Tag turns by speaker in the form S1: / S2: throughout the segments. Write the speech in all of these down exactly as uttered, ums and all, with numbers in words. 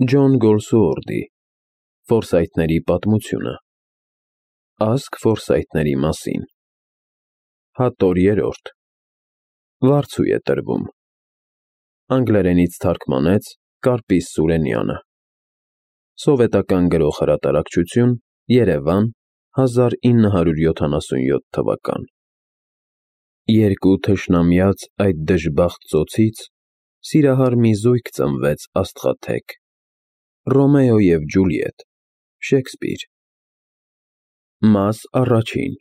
S1: Ջոն Գոլսուորդի Ֆորսայթների պատմությունը Ազգ Ֆորսայթների մասին Հատոր երրորդ Վարձու է տրվում Անգլերենից թարգմանեց Կարպիս Սուրենյանը Սովետական գրող հրատարակչություն Երևան հազար ինը հարյուր յոթանասունյոթ թվական Երկու թշնամյաց այդ դժբախտ ծոցից սիրահար մի զույգ ծնվեց աստղաթեք Ռոմեո և Ջուլիետ Շեքսպիր Մաս առաջին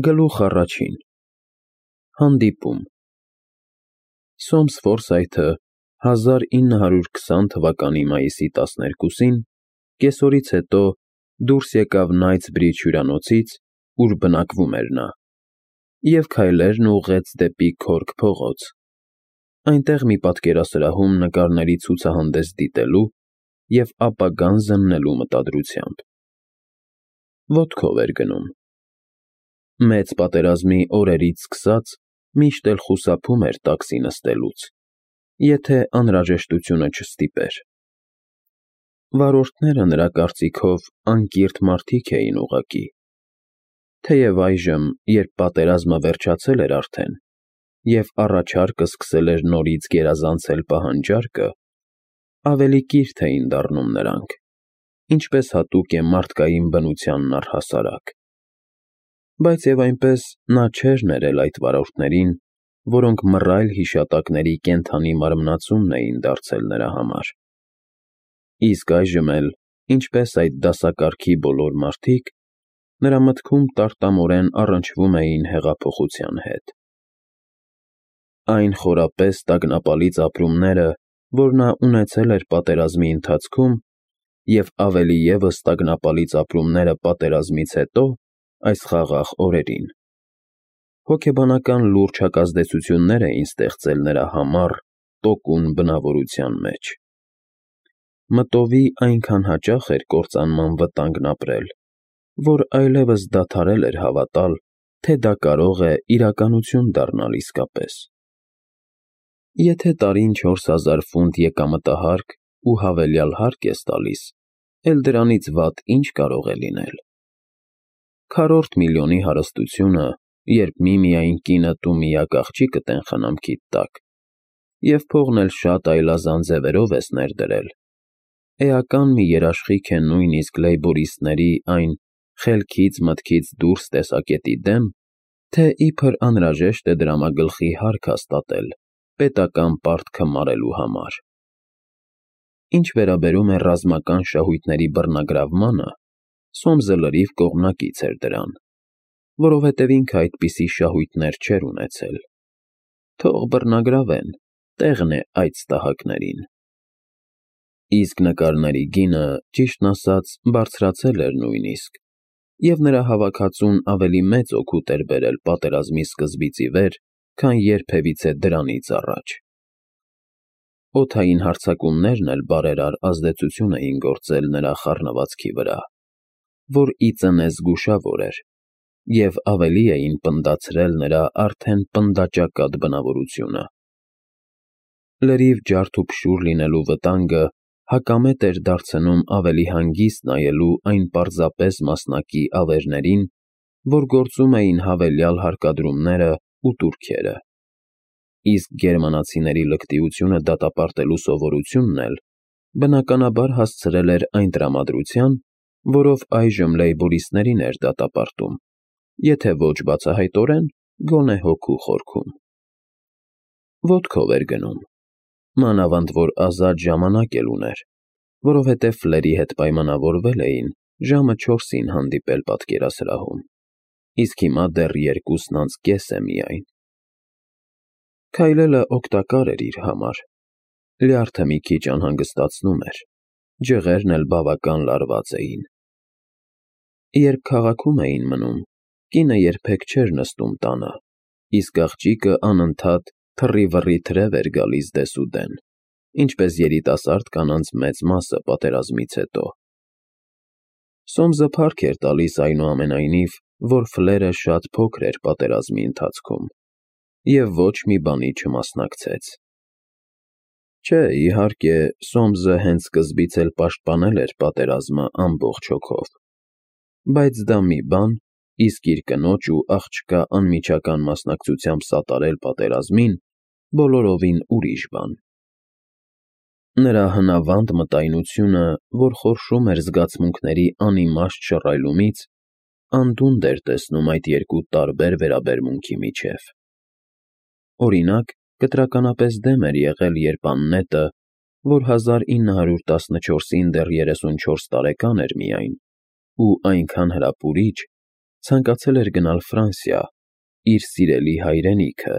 S1: Գլուխ առաջին Հանդիպում Սոմս Ֆորսայթը հազար ինը հարյուր քսան թվականի մայիսի տասներկուսին կեսօրից հետո դուրս եկավ Նայթսբրիջ հյուրանոցից, ուր բնակվում էր նա, և քայլերն ուղղեց դեպի Քորք փողոց, այնտեղ մի պատկերասրահում նկարների ցուցահանդես դիտելու և ապագան զննելու մտադրությամբ։ Ոտքով էր գնում։ Մեծ պատերազմի օրերից սկսած միշտ էլ խուսափում էր տաքսի նստելուց, եթե անհրաժեշտությունը չստիպեր։ Վարորդները նրա կարծիքով անկիրթ մարդիկ էին ուղղակի, թեև այժմ, երբ պատերազմը վերջացել էր արդեն, և առաջարկը սկսել էր նորից գերազանցել պահանջարկը, ավելի կիրթ էին դառնում նրանք, ինչպես հատուկ է մարդկային բնությանն առհասարակ։ Բայց և այնպես նա չէր ներել այդ վարորդներին, որոնք մռայլ հիշատակների կենդանի մարմնացումն էին դարձել նրա համար։ Իսկ այժմ էլ, ինչպես այդ դասակարգի բոլոր մարդիկ, նրա մտքում տարտամորեն առնչվում էին հեղափոխության հետ։ Այն խորապես տագնապալից ապրումները, որ նա ունեցել էր պատերազմի ընթացքում, և ավելի ևս տագնապալից ապրումները պատերազմից հետո, այս խաղաղ օրերին, հոգեբանական լուրջ հակազդեցություններ էին ստեղծել նրա համառ, տոկուն բնավորության մեջ։ Մտովի այնքան հաճախ էր կործանման վտանգն ապրել, որ այլևս դադարել էր հավատալ, թե դա կարող է իրականություն դառնալ իսկապես։ Եթե տարին չորս հազար ֆունտ եկամտահարկ ու հավելյալ հարկ ես տալիս, էլ դրանից վատ ի՞նչ կարող է լինել։ Քառորդ միլիոնի հարստությունը, երբ միմիայն կինդ ու միակ աղջիկդ են խնամքիդ տակ, և փողն էլ շատ այլազան ձևերով ես ներդրել, էական մի երաշխիք է նույնիսկ լեյբորիստների այն «խելքից մտքից դուրս» տեսակետի դեմ, թե իբր անհրաժեշտ է դրամագլխի հարկ հաստատել պետական պարտքը մարելու համար։ Ինչ վերաբերում է ռազմական շահույթների բռնագրավմանը, Սոմսը լրիվ կողմնակից էր դրան, որովհետև ինքը այդպիսի շահույթներ չէր ունեցել։ Թող բռնագրավեն, տեղն է այդ ստահակներին։ Իսկ նկարների գինը, ճիշտն ասած, բարձրացել էր նույնիսկ, և նրա հավաքածուն ավելի մեծ օգուտ էր բերել պատերազմի սկզբից ի վեր, քան երբևիցե դրանից առաջ։ Օդային հարձակումներն էլ բարերար ազդեցություն էին գործել նրա խառնվածքի վրա, որ ի ծնե զգուշավոր էր, և ավելի էին պնդացրել նրա արդեն պնդաճակատ բնավորությունը։ Լրիվ ջարդ ու փշուր լինելու վտանգը հակամետ էր դարձնում ավելի հանգիստ նայելու այն պարզապես մասնակի ավերներին, որ գործում էին հավելյալ հարկադրումները ու տուրքերը։ Իսկ գերմանացիների լկտիությունը դատապարտելու սովորությունն էլ, բնականաբար հասցրել էր այն տրամադրության, որով այժմ լեյբորիստներին էր դատապարտում, եթե ոչ բացահայտորեն, գոնե հոգու խորքում։ Ոտքով էր գնում, մանավանդ որ ազատ ժամանակ էլ ուներ, որովհետև Ֆլերի հետ պայմանավորվել էին ժամը չորսին հանդիպել պատկերասրահում, իսկ հիմա դեռ երկուսն անց կես է միայն։ Քայլելը օգտակար էր իր համար, լյարդը մի քիչ անհանգստացնում էր, ջղերն էլ բավական լարված էին։ Երբ քաղաքում էին մնում, կինը երբեք չէր նստում տանը, իսկ աղջիկը անընդհատ թռի-վռի թրև էր գալիս դեսուդեն, ինչպես երիտասարդ կանանց մեծ մասը պատերազմից հետո։ Սոմսը փառք էր տալիս այնուամենայնիվ, որ Ֆլերը շատ փոքր էր պատերազմի ընթացքում և ոչ մի բանի չմասնակցեց։ Չէ, իհարկե, Սոմսը հենց սկզբից էլ պաշտպանել էր պատերազմը ամբողջ հոգով, բայց դա մի բան, իսկ իր կնոջ ու աղջկա անմիջական մասնակցությամբ սատարել պատերազմին բոլորովին ուրիշ բան։ Նրա հնավանդ մտայնությունը, որ խորշում էր զգացմունքների անիմաստ շռայլումից, անդունդ էր տեսնում այդ երկու տարբեր վերաբերմունքի միջև։ Օրինակ, կտրականապես դեմ էր եղել, երբ Աննետը, որ հազար ինը հարյուր տասնչորսին դեռ երեսունչորս տարեկան էր միայն, ու այնքան հրապուրիչ, ցանկացել էր գնալ Ֆրանսիա, իր սիրելի հայրենիքը,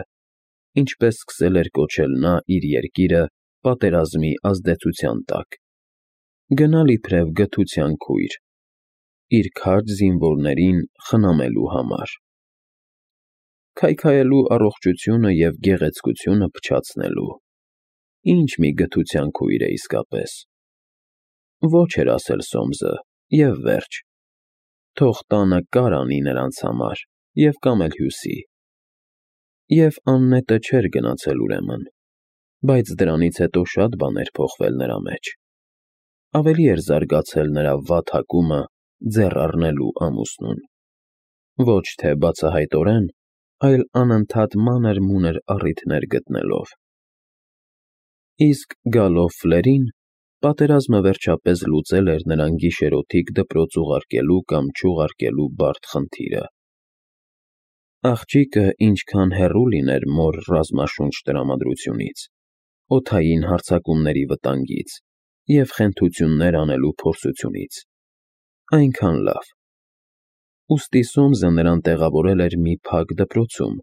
S1: ինչպես սկսել էր կոչել նա իր երկիրը պատերազմի ազդեցության տակ, գնալ իբրև գթության քույր, իր քաջ զինվորներին խնամելու համար, քայքայելու առողջությունը և գեղեցկությունը փչացնելու։ Ինչ մի գթության քույր է իսկապես։ Ոչ էր ասել Սոմսը, և վերջ, թող տանը կար անի նրանց համար և կամ էլ հյուսի։ Եվ Աննետը չէր գնացել ուրեմն, բայց դրանից հետո շատ բաներ փոխվել նրա մեջ։ Ավելի էր զարգացել նրա վատ հակումը ձեռ առնելու ամուսնուն։ Ոչ թե բացահայտորեն, այլ անընդհատ մանր-մունր առիթներ գտնելով։ Իսկ գալով Ֆլերին, պատերազմը վերջապես լուծել էր նրան գիշերօթիկ դպրոց ուղարկելու կամ չուղարկելու բարդ խնդիրը։ Աղջիկը ինչքան հեռու լիներ մոր ռազմաշունչ տրամադրությունից, օդային հարձակումների վտանգից և խենթություններ անելու փորձությունից, այնքան լավ։ Ուստի Սոմսը նրան տեղավորել էր մի փակ դպրոցում,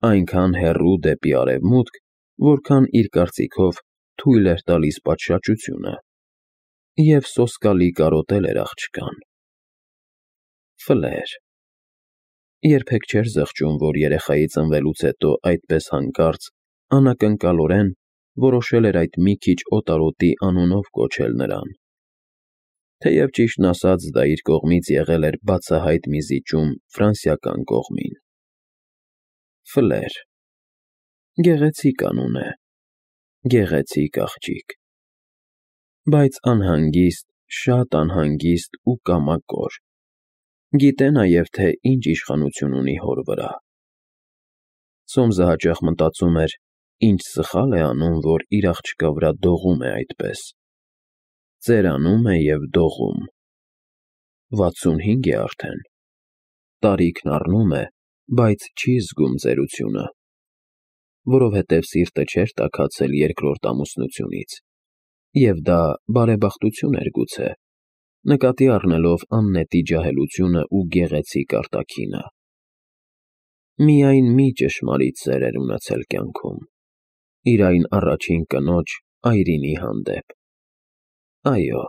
S1: այնքան հեռու դեպի արևմուտք, որքան իր կարծիքով թույլ էր տալիս պատշաճությունը, և սոսկալի կարոտել էր աղջկան։ Ֆլեր… Երբեք չէր զղջում, որ երեխայի ծնվելուց հետո այդպես հանկարծ, անակնկալորեն որոշել էր այդ մի քիչ օտարոտի անունով կոչել նրան, թեև ճիշտն ասած դա իր կողմից եղել էր բացահայտ մի զիջում ֆրանսիական կողմին։ Ֆլեր… Գեղեցիկ անուն է, գեղեցիկ աղջիկ, բայց անհանգիստ, շատ անհանգիստ ու կամակոր, գիտե նաև, թե ինչ իշխանություն ունի հոր վրա։ Սոմսը հաճախ մտածում էր, ինչ սխալ է անում, որ իր աղջկա վրա դողում է այդպես։ Ծերանում է և դողում։ վաթսունհինգ է արդեն։ Տարիքն առնում է, բայց չի զգում ծերությունը, որովհետև սիրտը չէր տաքացել երկրորդ ամուսնությունից, և դա բարեբախտություն էր գուցե, նկատի առնելով Աննետի ջահելությունը ու գեղեցիկ արտաքինը։ Միայն մի ճշմարիտ սեր էր ունեցել կյանքում՝ իր այն առաջին կնոջ՝ Այրինի հանդեպ։ Այո,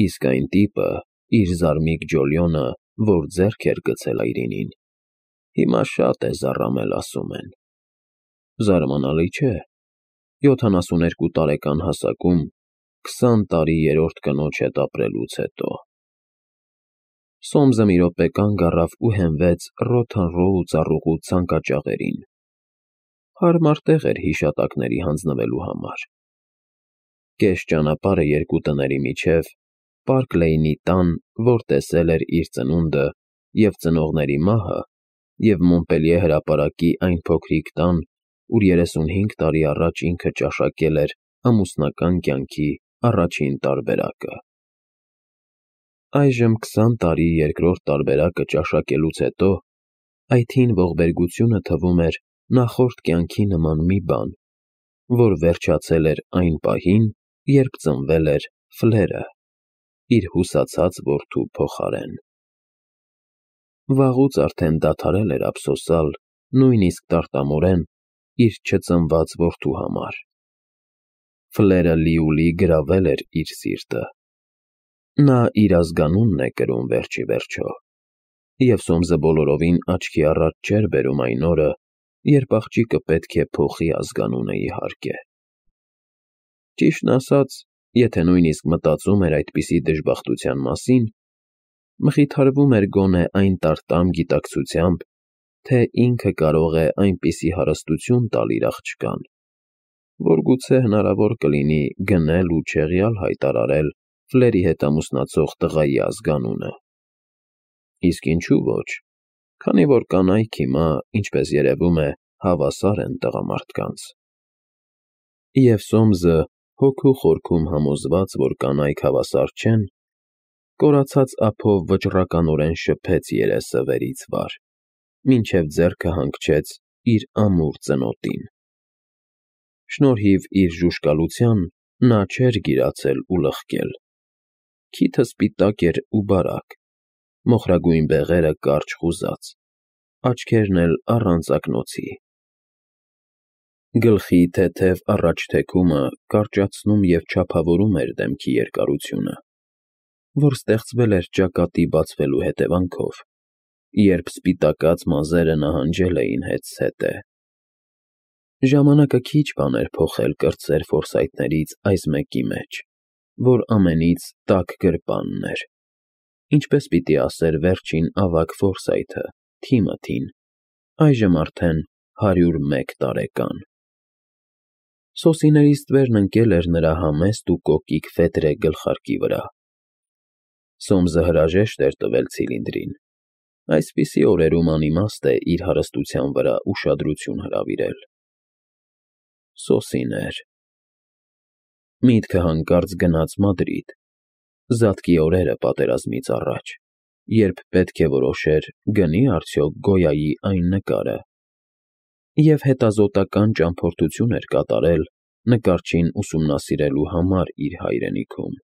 S1: իսկ այն տիպը, իր զարմիկ Ջոլիոնը, որ ձեռք էր գցել Այրինին, հիմա շատ է զառամել, ասում են։ Զարմանալի չէ, յոթանասուներկու տարեկան հասակում քսան տարի երրորդ կնոջ հետ ապրելուց հետո։ Սոմսը մի րոպե կանգ առավ ու հենվեց ռոթանռո ու ծառուղու ցանկաճաղերին։ Հարմար տեղ էր հիշատակների հանձնվելու համար։ Կես ճանապարհը երկու տների միջև, Պարկ Լեյնի տան, որ տեսել էր իր ծնունդը և ծնողների մահը, և Մոնպելիե հրապարակի այն փոքրիկ տան, ուր երեսունհինգ տարի առաջ ինքը ճաշակել էր ամուսնական կյանքի առաջին տարբերակը։ Այժմ քսան տարի երկրորդ տարբերակը ճաշակելուց հետո այդ հին ողբերգությունը թվում էր նախորդ կյանքի նման մի բան, որ վերջացել էր այն պահին, երբ ծնվել էր Ֆլերը, իր հուսացած որդու փոխարեն։ Վաղուց արդեն դադարել էր ափսոսալ, նույնիսկ տարտամորեն, իր չծնված որդու համար։ Ֆլերը լիուլի գրավել էր իր սիրտը։ Նա իր ազգանունն է կրում վերջիվերջո, և Սոմսը բոլորովին աչքի առաջ չէր բերում այն օրը, երբ աղջիկը պետք է փոխի ազգանունը, իհարկե։ Ճիշտն ասած, եթե նույնիսկ մտածում էր այդպիսի դժբախտության մասին, մխիթարվում էր գոնե այն տարտամ գիտակցությամբ, թե ինքը կարող է այնպիսի հարստություն տալ իր աղջկան, որ գուցե հնարավոր կլինի գնել ու չեղյալ հայտարարել Ֆլերի հետ ամուսնացող տղայի ազգանունը։ Իսկ ինչու ոչ, քանի որ կանայք հիմա, ինչպես երևում է, հավասար են տղամարդկանց։ Եվ Սոմսը, հոգու խորքում համոզված, որ կանայք հավասար չեն, կորացած ափով վճռականորեն շփեց երեսը վերից վար, մինչև ձեռքը հանգչեց իր ամուր ծնոտին։ Շնորհիվ իր ժուժկալության նա չէր գիրացել ու լղկել։ Քիթը սպիտակ էր ու բարակ, մոխրագույն բեղերը կարճ խուզած, աչքերն էլ առանց ակնոցի։ Գլխի թեթև առաջ թեքումը կարճացնում և չափավորում էր դեմքի երկարությունը, որ ստեղծվել էր ճակատի բացվելու հետևանքով, երբ սպիտակած մազերը նահանջել էին հետզհետե։ Ժամանակը քիչ բան էր փոխել կրտսեր ֆորսայթներից այս մեկի մեջ, որ ամենից տաք գրպանն էր, ինչպես պիտի ասեր վերջին ավագ Ֆորսայթը, Թիմոթին, այժմ արդեն հարյուր մեկ տարեկան։ Սոսիների ստվերն ընկել էր նրա համեստ ու կոկիկ ֆետրե գլխարկի վրա։ Սոմսը հրաժեշտ էր տվել ցիլինդրին։ Այսպիսի օրերում անիմաստ է իր հարստության վրա ուշադրություն հրավիրել։ Սոսիներ։ Միտքը հանկարծ գնաց Մադրիդ, զատկի օրերը պատերազմից առաջ, երբ պետք է որոշեր գնի արդյոք Գոյայի այն նկարը, և հետազոտական ճամփորդություն էր կատարել նկարչին ուսումնասիրելու համար իր հայրենիքում։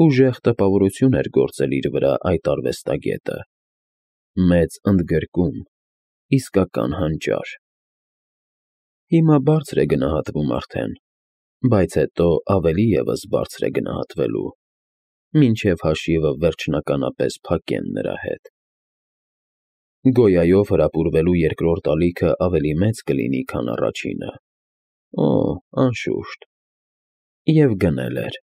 S1: Ուժեղ տպավորություն էր գործել իր վրա այդ արվեստագետը, մեծ ընդգրկում, իսկական հանճար։ Հիմա բարձր է գնահատվում արդեն, բայց հետո ավելի ևս բարձր է գնահատվելու, մինչև հաշիվը վերջնականապես փակեն նրա հետ։ Գոյայով հրապուրվելու երկրորդ ալիքը ավելի մեծ կլինի, քան առաջինը։ Օ, անշուշտ։ Եվ գնել էր։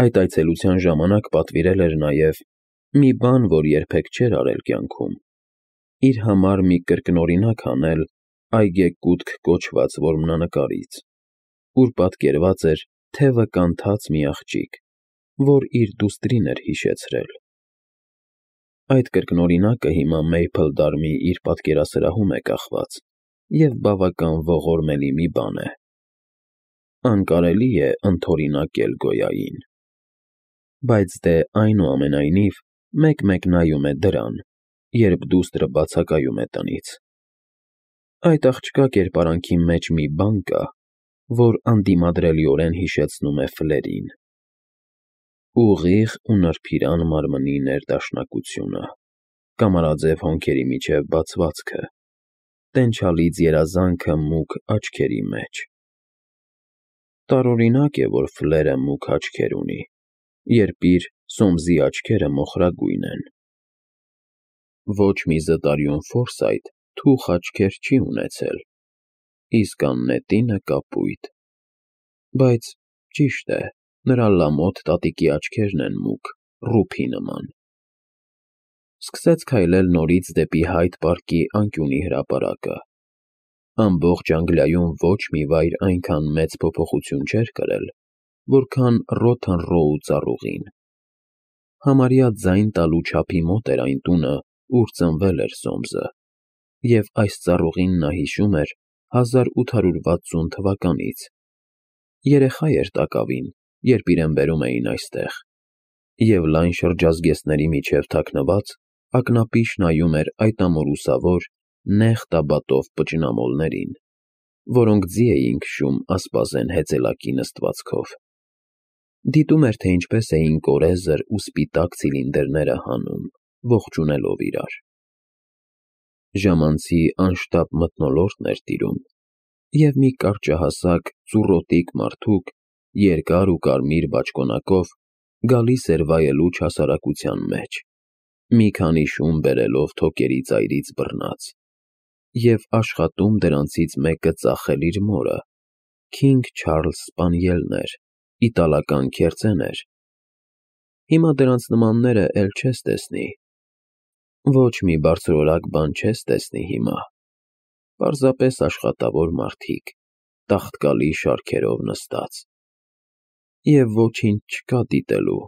S1: Այդ այցելության ժամանակ պատվիրել էր նաև մի բան, որ երբեք չէր արել կյանքում, իր համար մի կրկնօրինակ անել այգեկութք կոչված որմնանկարից, ուր պատկերված էր թևը կանթած մի աղջիկ, որ իր դուստրին էր հիշեցրել։ Այդ կրկնօրինակը հիմա Մեյփլդարմի իր պատկերասրահում է կախված և բավական ողորմելի մի բան է։ Անկարելի է ընդօրինակել Գոյային։ Բայց դե այնուամենայնիվ մեկ-մեկ նայում է դրան, երբ դուստրը բացակայում է տնից։ Այդ աղջկա կերպարանքի մեջ մի բան կա, որ անդիմադրելիորեն հիշեցնում է Ֆլերին։ Ուղիղ ու նրբիրան մարմնի ներդաշնակությունը, կամարաձև հոնքերի միջև բացվածքը, տենչալից երազանքը մուգ աչքերի մեջ։ Տարօրինակ է, որ Ֆլերը մուգ աչքեր ունի, երբ իր Սոմսի աչքերը մոխրագույն են։ Ոչ մի զտարյուն Ֆորսայթ թուխ աչքեր չի ունեցել, իսկ Աննետինը կապույտ։ Բայց, ճիշտ է, նրա լամոտ տատիկի աչքերն են մուգ, ռուփի նման։ Սկսեց քայլել նորից դեպի Հայդ պարկի անկյունի հրապարակը։ Ամբողջ Անգլիայում ոչ մի վայր այնքան մեծ փոփոխություն չէր կրել, որքան Ռոթն Ռոու ծառուղին։ Համարյա ձայն տալու չափի մոտ էր այն տունը, ուր ծնվել էր Սոմսը, և այս ծառուղին նա հիշում էր հազար ութ հարյուր վաթսուն թվականից։ Երեխա էր տակավին, երբ իրեն բերում էին այստեղ, և լայն շրջազգեստների միջև թաքնված ակնապիշ նայում էր այդ ամորուսավոր, նեղ տաբատով պճնամոլներին, որոնք ձի էին քշում ասպազեն հեծելակի նստվածքով։ Դիտում էր, թե ինչպես էին կորեզր ու սպիտակ ցիլինդրները հանում, ողջունելով իրար։ Ժամանցի անշտապ մթնոլորտն էր տիրում, և մի կարճահասակ ծուռոտիկ մարդուկ, երկար ու կարմիր բաճկոնակով, գալիս էր վայելուչ հասարակության մեջ, մի քանի շուն բերելով թոկերի ծայրից բռնած, և աշխատում դրանցից մեկը ծախել իր մորը, Քինգ Չարլզ Սպանիելներ, իտալական քերծեներ։ Հիմա դրանց նմանները էլ չես տեսնի։ Ոչ մի բարձրորակ բան չես տեսնի հիմա, պարզապես աշխատավոր մարդիկ, տաղտկալի շարքերով նստած։ Եվ ոչինչ չկա դիտելու,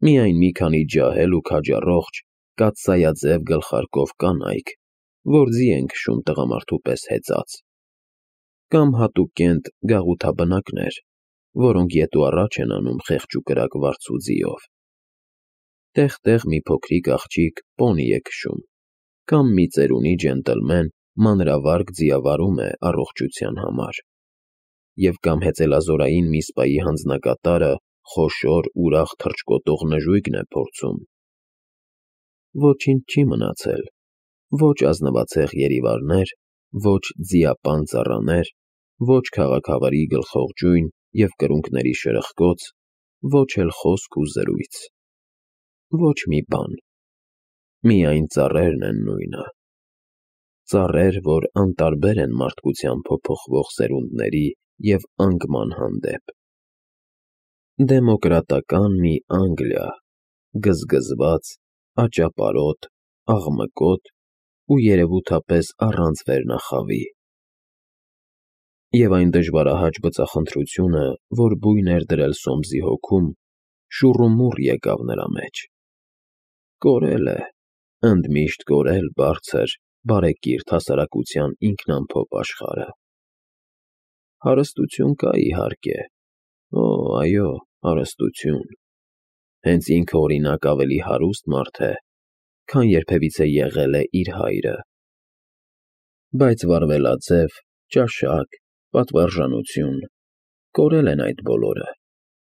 S1: միայն մի քանի ջահել ու քաջառողջ կաթսայաձև գլխարկով կանայք, որ ձի են քշում տղամարդու պես հեծած, կամ հատուկենտ գաղութաբնակներ, որոնք ետ ու առաջ են անում խեղճ ու կրակ վարձու ձիով։ Տեղ-տեղ մի փոքրիկ աղջիկ պոնի է քշում, կամ մի ծերունի ջենտլմեն մանրավարգ ձիավարում է առողջության համար, և կամ հեծելազորային մի սպայի հանձնակատարը խոշոր, ուրախ թռչկոտող նժույգն է փորձում։ Ոչինչ չի մնացել, ոչ ազնվացեղ երիվարներ, ոչ ձիապան ծառաներ, ոչ քաղաքավարի գլխողջույն և կրունկների շրխկոց, ոչ էլ խոսք ու զրույց։ Ոչ մի բան, միայն ծառերն են նույնը, ծառեր, որ անտարբեր են մարդկության փոփոխվող սերունդների և անկման հանդեպ։ Դեմոկրատական մի Անգլիա, գզգզված, աճապարոտ, աղմկոտ ու երևութապես առանց վերնախավի։ Եվ այն դժվարահաճ բծախնդրությունը, որ բույն էր դրել Սոմսի հոգում, շուռումուռ եկավ նրա մեջ։ Կորել է, ընդմիշտ կորել բարձր, բարեկիրթ հասարակության ինքնամփոփ աշխարհը։ Հարստություն կա, իհարկե, օ, այո, հարստություն, հենց ինքը օրինակ ավելի հարուստ մարդ է, քան երբևիցե եղել է իր հայրը։ Բայց վարվելաձև, ճաշակ, պատվարժանություն, կորել են այդ բոլորը,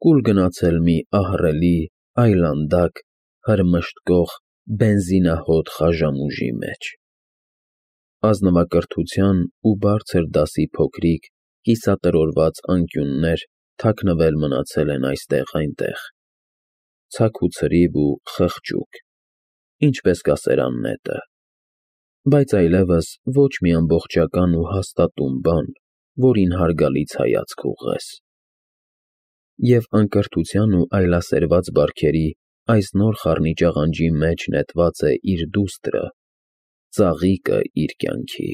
S1: կուլ գնացել մի ահռելի, այլանդակ, հրմշտկող, բենզինահոտ խաժամուժի մեջ։ Ազնվակրթության ու բարձր դասի փոքրիկ, կիսատրորված անկյուններ թաքնվել մնացել են այստեղ֊այնտեղ, ցաք ու ցրիվ ու խղճուկ, ինչպես կասեր աննետը, բայց այլևս ոչ մի ամբողջական ու հաստատուն բան, որին հարգալից հայացք ուղղես։ Եվ անկրթության ու այլասերված բարքերի այս նոր խառնիճաղանջի մեջ նետված է իր դուստրը, ծաղիկը իր կյանքի։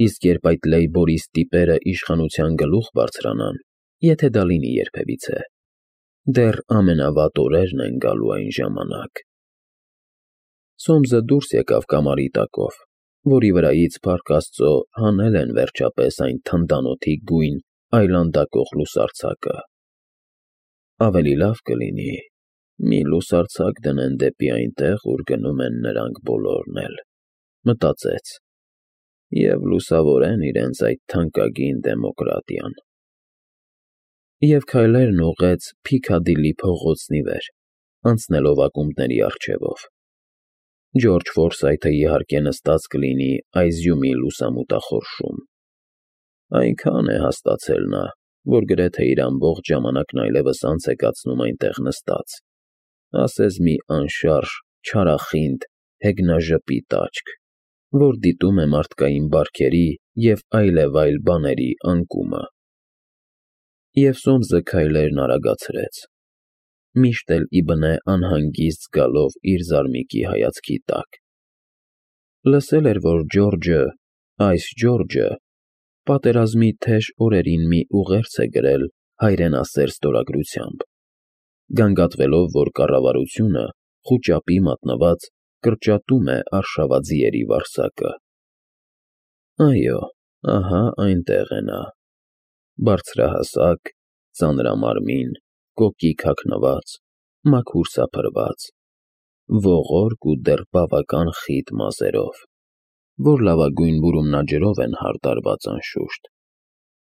S1: Իսկ երբ այդ լեյբորիստ տիպերը իշխանության գլուխ բարձրանան, եթե դա լինի երբևիցե, դեռ ամենավատ օրերն են գալու այն ժամանակ։ Սոմսը դուրս եկավ կամարի տակով, որի վրայից, փառք Աստծո, հանել են վերջապես այն թնդանոթի գույն այլանդակող լուսարձակը։ Ավելի լավ կլինի մի լուսարձակ դնեն դեպի այնտեղ, ուր գնում են նրանք բոլորն էլ, մտածեց, և լուսավորեն իրենց այդ թանկագին դեմոկրատիան։ Եվ քայլերն ուղղեց Փիքադիլի փողոցն ի վեր, անցնելով ակումբների առջևով։ Ջորջ Ֆորսայթը իհարկե նստած կլինի Այզյումի լուսամուտախորշում։ Այնքան է հասկացել նա, որ գրեթե իր ամբողջ ժամանակն այլևս անց է կացնում այնտեղ նստած, ասես մի անշարժ, չարախինդ, հեգնաժպիտ աչք, որ դիտում է մարդկային բարքերի և այլևայլ բաների անկումը։ Եվ Սոմսը քայլերն արագացրեց, միշտ էլ իբնե անհանգիստ զգալով իր զարմիկի հայացքի տակ։ Լսել էր, որ Ջորջը, այս Ջորջը, պատերազմի թեժ օրերին մի ուղերձ է գրել հայրենասեր ստորագրությամբ, գանգատվելով, որ կառավարությունը, խուճապի մատնված, կրճատում է արշավաձիերի վարձակը։ Այո, ահա այնտեղ է նա, բարձրահասակ, ծանրամարմին, կոկիկ հագնված, մաքուր սափրված, ողորկ ու դեռ բավական խիտ մազերով, որ լավագույն բուրումնաջրով են հարդարված անշուշտ,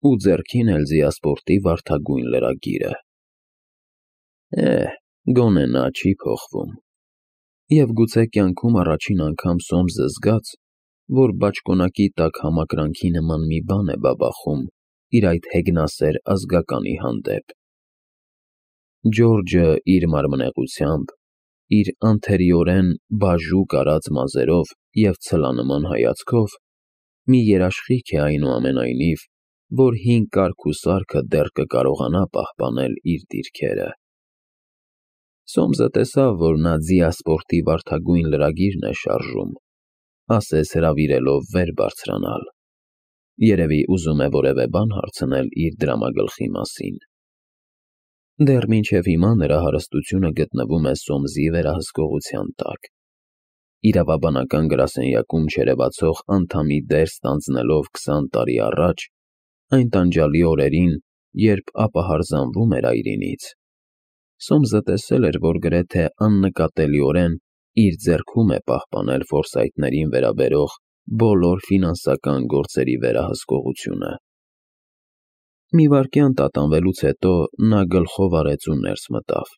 S1: ու ձեռքին էլ զիասպորտի վարդագույն լրագիրը։ Էհ, գոնե նա չի փոխվում։ Եվ գուցե կյանքում առաջին անգամ Սոմսը զգաց, որ բաճկոնակի տակ համակրանքի նման մի բան է բաբախում իր այդ հեգնասեր ազգականի հանդեպ։ Ջորջը իր մարմնեղությամբ, իր անթերիորեն բաժուկ արած մազերով և ցլանման հայացքով մի երաշխիք է այնուամենայնիվ, որ հին կարգ ու սարքը դեռ կկարողանա պահպանել իր դիրքերը։ Սոմսը տեսավ, որ նա զիասպորտի վարդագույն լրագիրն է շարժում, ասես հրավիրելով վեր բարձրանալ։ Երևի ուզում է որևէ բան հարցնել իր դրամագլխի մասին։ Դեռ մինչև հիմա նրա հարստությունը գտնվում է Սոմսի վերահսկողության տակ։ Իրավաբանական գրասենյակում չերևացող անդամի դեր ստանձնելով քսան տարի առաջ, այն տանջալի օրերին, երբ ապահարզանվում էր այրինից, Սոմսը տեսել էր, որ գրեթե աննկատելիորեն իր ձեռքում է պահպանել Ֆորսայթներին վերաբերող բոլոր ֆինանսական գործերի վերահսկողությունը։ Մի վայրկյան տատանվելուց հետո նա գլխով արեց ու ներս մտավ։